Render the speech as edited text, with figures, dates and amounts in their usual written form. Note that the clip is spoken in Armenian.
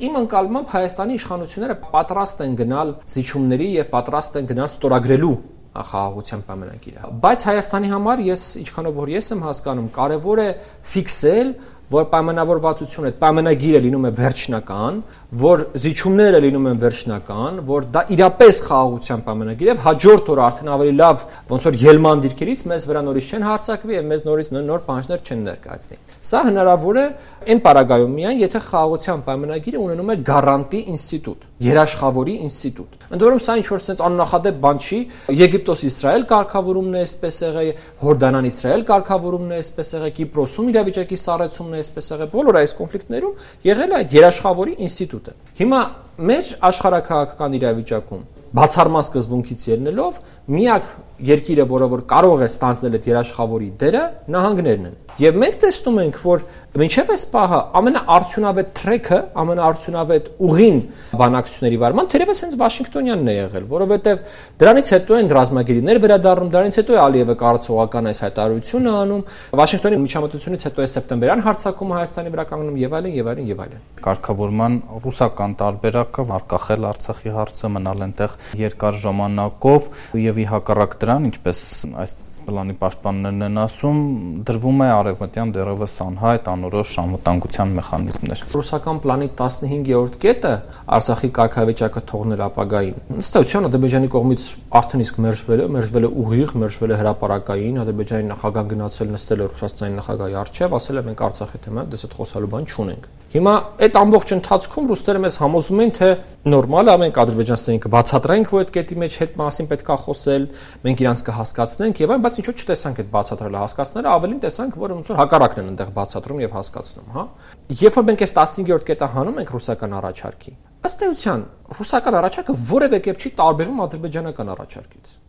Իմ ընկալմամբ Հայաստանի իշխանությունները պատրաստ են գնալ զիջումների եւ պատրաստ են գնալ ստորագրելու խաղաղության պայմանագիրը։ Բայց Հայաստանի համար ինչքանով որ ես եմ հասկանում, կարևոր է ֆիքսել, որ պայմանավորվածությունը, պայմանագիրը լինում է վերջնական, որ զիջումները լինում են վերջնական, որ դա իրապես խաղաղության պայմանագիր է, հաջորդ օրը արդեն ավելի լավ ոնց որ ելման դիրքերից մեզ վրա նորից չեն հարձակվի եւ մեզ նորից նոր պահանջներ չեն ներկայացնի։ Սա հնարավոր է այն պարագայում միայն, եթե խաղաղության պայմանագիրը ունենում է գարանտի ինստիտուտ, երաշխավորի ինստիտուտ։ Ընդ որում սա ինչ որ sense աննախադեպ բան չի, Եգիպտոս-Իսրայել կարգավորումն է այսպես եղել, Հորդանան-Իսրայել կարգավորումն է այսպես եղել, Կիպրոսում իրավիճակի սառեցումն է այսպես եղել, բոլոր այս կոնֆլիկտներում եղել է այդ երաշխավորի ինստիտուտը։ Հիմա մեր աշխարհաքաղաքական իրավիճակում բացառման սկզբունքից ելնելով միակ երկիրը, որը որ կարող է ստանձնել այդ երաշխավորի դերը, նահանգներն են։ Եվ մենք տեսնում ենք, որ մինչև այս պահը ամենաարդյունավետ թրեքը, ամենաարդյունավետ ուղին բանակցությունների վարման թերևս հենց Վաշինգտոնյանն է եղել, որովհետև դրանից հետո են ռազմագերիներ վերադառնում, դրանից հետո է Ալիևը կառուցողական այս հայտարարությունը անում, Վաշինգտոնի միջամտությունից հետո է սեպտեմբերյան հարձակումը Հայաստանի վրա կանգնում եւ այլն եւ այլն եւ այլն։ Կարգավորման ռուսական տարբերակը արկախել Արցախի հարցը, մնալ այնտեղ երկար ժամանակով եւ ի հակառակ դրան, ինչպես այս պլանի պաշտպաններն են ասում, դրվում է արևմտյան դեռևս անհայտ անորոշ անվտանգության մեխանիզմներ։ Ռուսական պլանի 15-րդ կետը Արցախի կարգավիճակը թողնել ապագային։ Ըստ էության Ադրբեջանի կողմից արդեն իսկ մերժվել է ուղիղ, մերժվել է հրապարակային, Ադրբեջանի նախագահան գնացել նստել է Ռուսաստանի նախագահի առջև, ասել է մենք Արցախի թեմայով դες այդ խոսալու բան չունենք։ Հիմա այդ ամբողջ ընթացքում ռուսները մեզ համոզում են, թե նորմալ է, մենք ադրբեջանցիներին կբացատրենք, որ այդ կետի մեջ հետ մասին պետք է խոսել, մենք իրանց կհասկացնենք եւ այն, բայց ինչու՞ չտեսանք այդ բացատրելը հասկացները, ավելին տեսանք, որ ոնց որ հակառակն են այնտեղ բացատրում եւ հասկացնում, հա։ Երբ որ մենք այս 15-րդ կետը հանում ենք ռուսական առաջարկի, ըստ էության ռուսական առաջարկը որևէ կերպ չի տարբերվում ադրբեջանական առաջարկից։